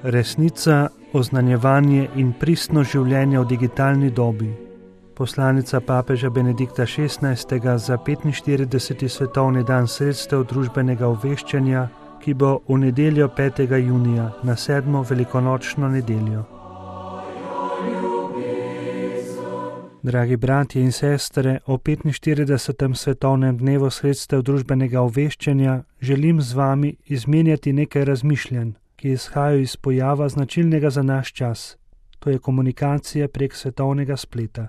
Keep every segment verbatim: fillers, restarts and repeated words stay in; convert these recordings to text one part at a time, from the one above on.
Resnica, oznanjevanje in pristno življenje v digitalni dobi. Poslanica papeža Benedikta šestnajstega za petinštirideseti svetovni dan sredstev družbenega obveščanja, ki bo v nedeljo petega junija na sedmo velikonočno nedeljo. Dragi bratje in sestre, o petinštiridesetem svetovnem dnevu sredstev družbenega obveščanja želim z vami izmenjati nekaj razmišljanj, ki izhajajo iz pojava značilnega za naš čas, to je komunikacija prek svetovnega spleta.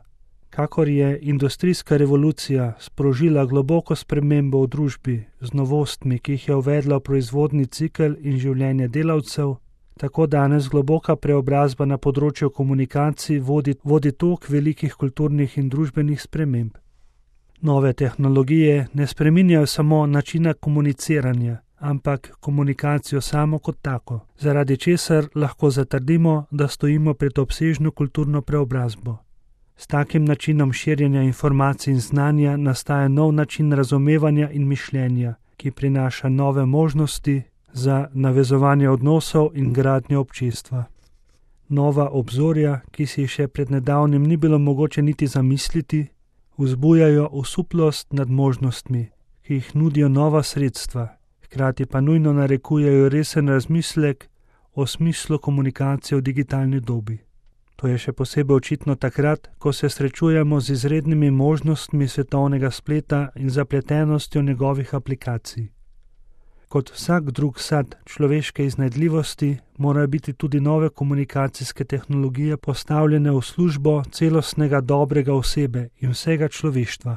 Kakor je industrijska revolucija sprožila globoko spremembo v družbi z novostmi, ki jih je uvedla v proizvodni cikel in življenje delavcev, tako danes globoka preobrazba na področju komunikacij vodi, vodi tok velikih kulturnih in družbenih sprememb. Nove tehnologije ne spreminjajo samo načina komuniciranja, ampak komunikacijo samo kot tako, zaradi česar lahko zatrdimo, da stojimo pred obsežno kulturno preobrazbo. S takim načinom širjenja informacij in znanja nastaja nov način razumevanja in mišljenja, ki prinaša nove možnosti za navezovanje odnosov in gradnjo občestva. Nova obzorja, ki si jih še pred nedavnim ni bilo mogoče niti zamisliti, vzbujajo osuplost nad možnostmi, ki jih nudijo nova sredstva, hkrati pa nujno narekujejo resen razmislek o smislu komunikacije v digitalni dobi. To je še posebej očitno takrat, ko se srečujemo z izrednimi možnostmi svetovnega spleta in zapletenostjo njegovih aplikacij. Kot vsak drug sad človeške iznajdljivosti, morajo biti tudi nove komunikacijske tehnologije postavljene v službo celostnega dobrega osebe in vsega človeštva.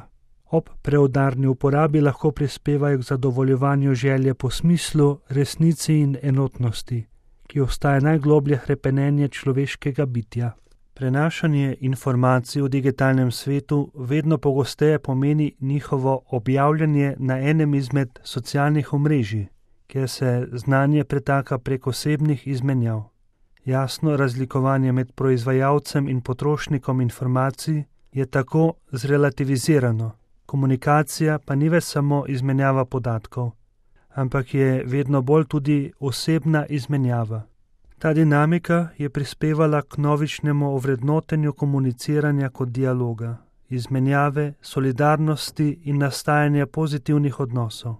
Ob preudarni uporabi lahko prispevajo k zadovoljovanju želje po smislu, resnici in enotnosti, ki ostaja najgloblje hrepenenje človeškega bitja. Prenašanje informacij v digitalnem svetu vedno pogosteje pomeni njihovo objavljanje na enem izmed socialnih omrežij, kjer se znanje pretaka prek osebnih izmenjav. Jasno razlikovanje med proizvajalcem in potrošnikom informacij je tako zrelativizirano, komunikacija pa ni več samo izmenjava podatkov, ampak je vedno bolj tudi osebna izmenjava. Ta dinamika je prispevala k novičnemu ovrednotenju komuniciranja kot dialoga, izmenjave, solidarnosti in nastajanja pozitivnih odnosov.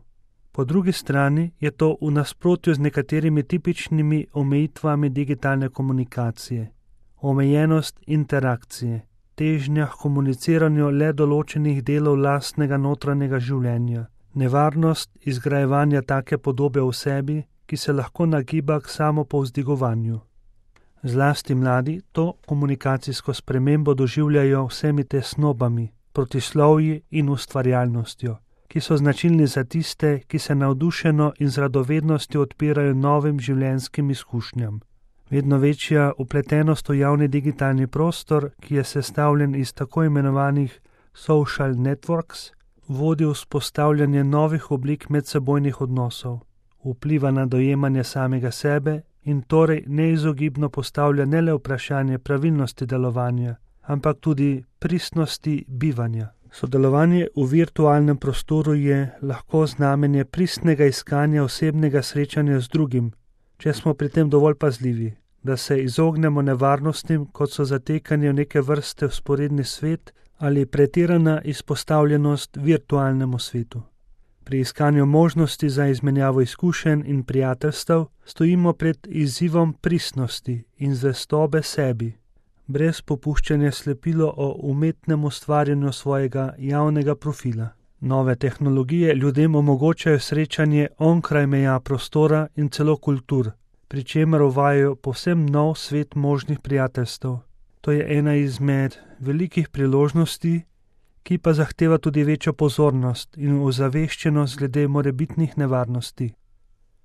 Po drugi strani je to v nasprotju z nekaterimi tipičnimi omejitvami digitalne komunikacije. Omejenost interakcije, težnja k komuniciranju le določenih delov lastnega notranjega življenja, nevarnost izgrajevanja take podobe v sebi, ki se lahko nagiba k samopovzdigovanju. Zlasti mladi to komunikacijsko spremembo doživljajo vsemi tesnobami, protislovji in ustvarjalnostjo, ki so značilni za tiste, ki se navdušeno in z radovednostjo odpirajo novim življenjskim izkušnjam. Vedno večja vpletenost v javni digitalni prostor, ki je sestavljen iz tako imenovanih social networks, vodi v vzpostavljanje novih oblik medsebojnih odnosov, vpliva na dojemanje samega sebe in torej neizogibno postavlja ne le vprašanje pravilnosti delovanja, ampak tudi pristnosti bivanja. Sodelovanje v virtualnem prostoru je lahko znamenje pristnega iskanja osebnega srečanja z drugim, če smo pri tem dovolj pazljivi, da se izognemo nevarnostim, kot so zatekanje v neke vrste vzporedni svet ali pretirana izpostavljenost virtualnemu svetu. Pri iskanju možnosti za izmenjavo izkušenj in prijateljstev stojimo pred izzivom pristnosti in zvestobe sebi, brez popuščanja slepilo o umetnem ustvarjanju svojega javnega profila. Nove tehnologije ljudem omogočajo srečanje onkraj meja prostora in celo kultur, pri čemer uvajajo povsem nov svet možnih prijateljstev. To je ena izmed velikih priložnosti, ki pa zahteva tudi večjo pozornost in ozaveščenost glede morebitnih nevarnosti.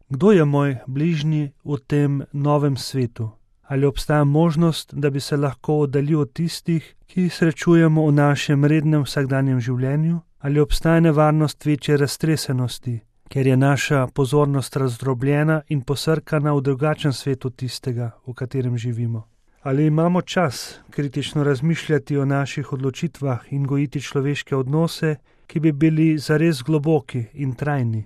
Kdo je moj bližnji v tem novem svetu? Ali obstaja možnost, da bi se lahko oddaljil od tistih, ki jih srečujemo v našem rednem vsakdanjem življenju? Ali obstaja nevarnost večje raztresenosti, ker je naša pozornost razdrobljena in posrkana v drugačen svet od tistega, v katerem živimo? Ali imamo čas kritično razmišljati o naših odločitvah in gojiti človeške odnose, ki bi bili zares globoki in trajni?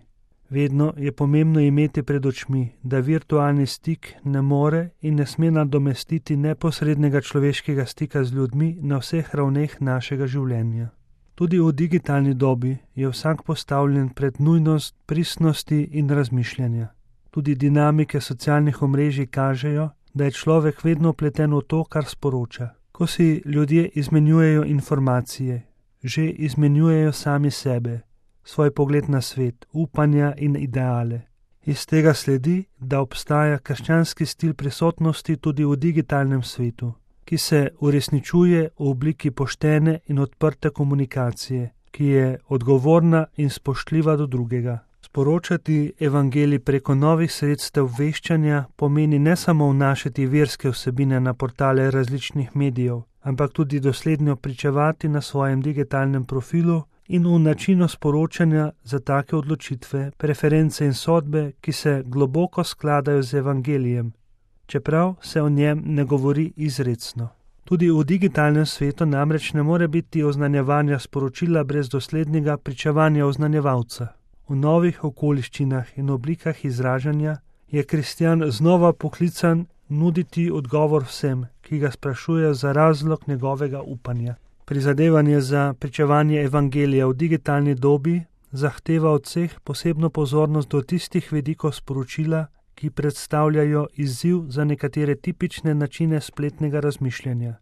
Vedno je pomembno imeti pred očmi, da virtualni stik ne more in ne sme nadomestiti neposrednega človeškega stika z ljudmi na vseh ravneh našega življenja. Tudi v digitalni dobi je vsak postavljen pred nujnost pristnosti in razmišljanja. Tudi dinamike socialnih omrežij kažejo, da je človek vedno vpleten v to, kar sporoča. Ko si ljudje izmenjujejo informacije, že izmenjujejo sami sebe, svoj pogled na svet, upanja in ideale. Iz tega sledi, da obstaja krščanski stil prisotnosti tudi v digitalnem svetu, ki se uresničuje v obliki poštene in odprte komunikacije, ki je odgovorna in spoštljiva do drugega. Sporočati evangelij preko novih sredstev veščanja pomeni ne samo vnašati verske vsebine na portale različnih medijev, ampak tudi dosledno pričevati na svojem digitalnem profilu in v načinu sporočanja za take odločitve, preference in sodbe, ki se globoko skladajo z evangelijem, čeprav se o njem ne govori izrecno. Tudi v digitalnem svetu namreč ne more biti oznanjevanja sporočila brez doslednega pričevanja oznanjevalca. V novih okoliščinah in oblikah izražanja je kristjan znova poklican nuditi odgovor vsem, ki ga sprašujejo za razlog njegovega upanja. Prizadevanje za pričevanje evangelija v digitalni dobi zahteva od vseh posebno pozornost do tistih vidikov sporočila, ki predstavljajo izziv za nekatere tipične načine spletnega razmišljanja.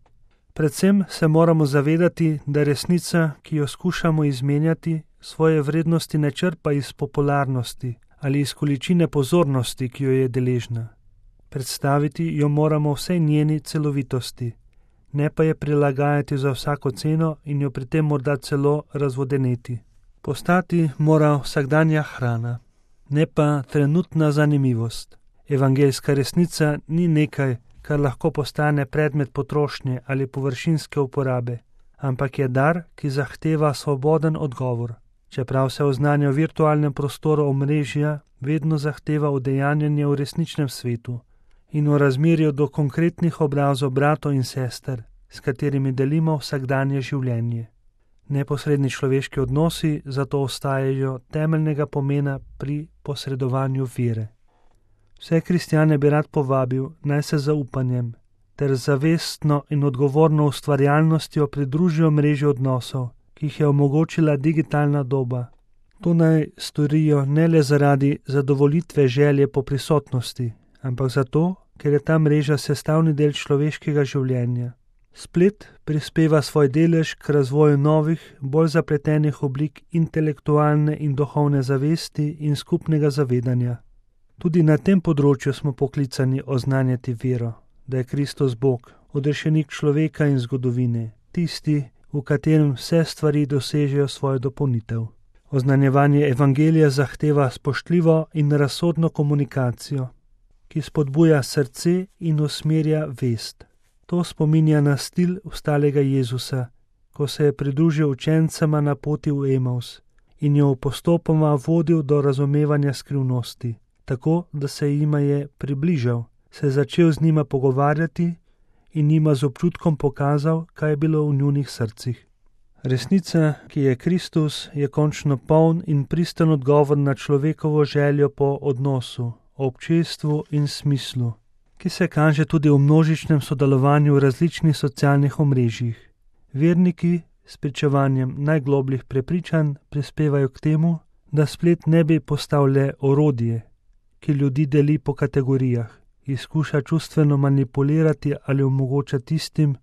Predvsem se moramo zavedati, da resnica, ki jo skušamo izmenjati, svoje vrednosti ne črpa iz popularnosti ali iz količine pozornosti, ki jo je deležna. Predstaviti jo moramo vsej njeni celovitosti, ne pa je prilagajati za vsako ceno in jo pri tem morda celo razvodeneti. Postati mora vsakdanja hrana, ne pa trenutna zanimivost. Evangeljska resnica ni nekaj, kar lahko postane predmet potrošnje ali površinske uporabe, ampak je dar, ki zahteva svoboden odgovor. Čeprav se oznanja v virtualnem prostoru omrežja vedno zahteva udejanjanje v resničnem svetu in v razmerju do konkretnih obrazov bratov in sester, s katerimi delimo vsakdanje življenje. Neposredni človeški odnosi zato ostajajo temeljnega pomena pri posredovanju vere. Vse kristjane bi rad povabil, naj se zaupanjem ter zavestno in odgovorno ustvarjalnostjo pridružijo mreži odnosov, ki jih je omogočila digitalna doba. To naj storijo ne le zaradi zadovolitve želje po prisotnosti, ampak zato, ker je ta mreža sestavni del človeškega življenja. Splet prispeva svoj delež k razvoju novih, bolj zapletenih oblik intelektualne in duhovne zavesti in skupnega zavedanja. Tudi na tem področju smo poklicani oznanjati vero, da je Kristus Bog, odrešenik človeka in zgodovine, tisti, v katerem vse stvari dosežejo svojo dopolnitev. Oznanjevanje evangelija zahteva spoštljivo in razsodno komunikacijo, ki spodbuja srce in usmerja vest. To spominja na stil vstalega Jezusa, ko se je pridružil učencema na poti v Emaus in jo postopoma vodil do razumevanja skrivnosti, tako da se jima je približal, se je začel z njima pogovarjati in njima z občutkom pokazal, kaj je bilo v njunih srcih. Resnica, ki je Kristus, je končno poln in pristen odgovor na človekovo željo po odnosu, občestvu in smislu, ki se kaže tudi v množičnem sodelovanju v različnih socialnih omrežjih. Verniki s pričevanjem najglobljih prepričanj prispevajo k temu, da splet ne bi postal le orodje, ki ljudi deli po kategorijah, izkuša čustveno manipulirati ali omogoča tistim,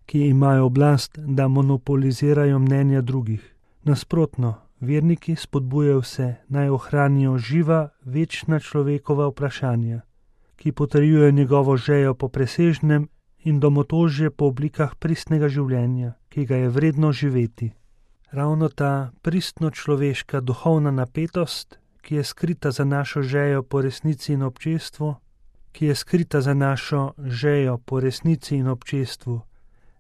ki imajo oblast, da monopolizirajo mnenja drugih. Nasprotno, verniki spodbujajo vse, naj ohranijo živa, večna človekova vprašanja, ki potrjujejo njegovo željo po presežnem in domotožje po oblikah pristnega življenja, ki ga je vredno živeti. Ravno ta pristno človeška duhovna napetost, ki je skrita za našo željo po resnici in občestvu, ki je skrita za našo željo po resnici in občestvu,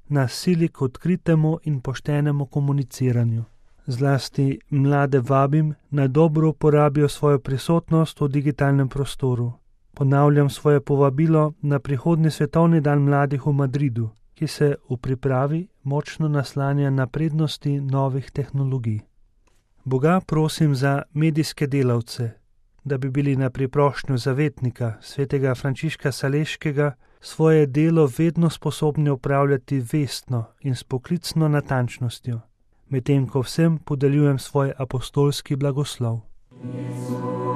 nas sili k odkritemu in poštenemu komuniciranju. Zlasti mlade vabim, naj dobro uporabijo svojo prisotnost v digitalnem prostoru. Ponavljam svoje povabilo na prihodnji svetovni dan mladih v Madridu, ki se v pripravi močno naslanja na prednosti novih tehnologij. Boga prosim za medijske delavce, da bi bili na priprošnjo zavetnika, svetega Frančiška Saleškega, svoje delo vedno sposobni opravljati vestno in s poklicno natančnostjo, medtem ko vsem podeljujem svoj apostolski blagoslov. Jezus.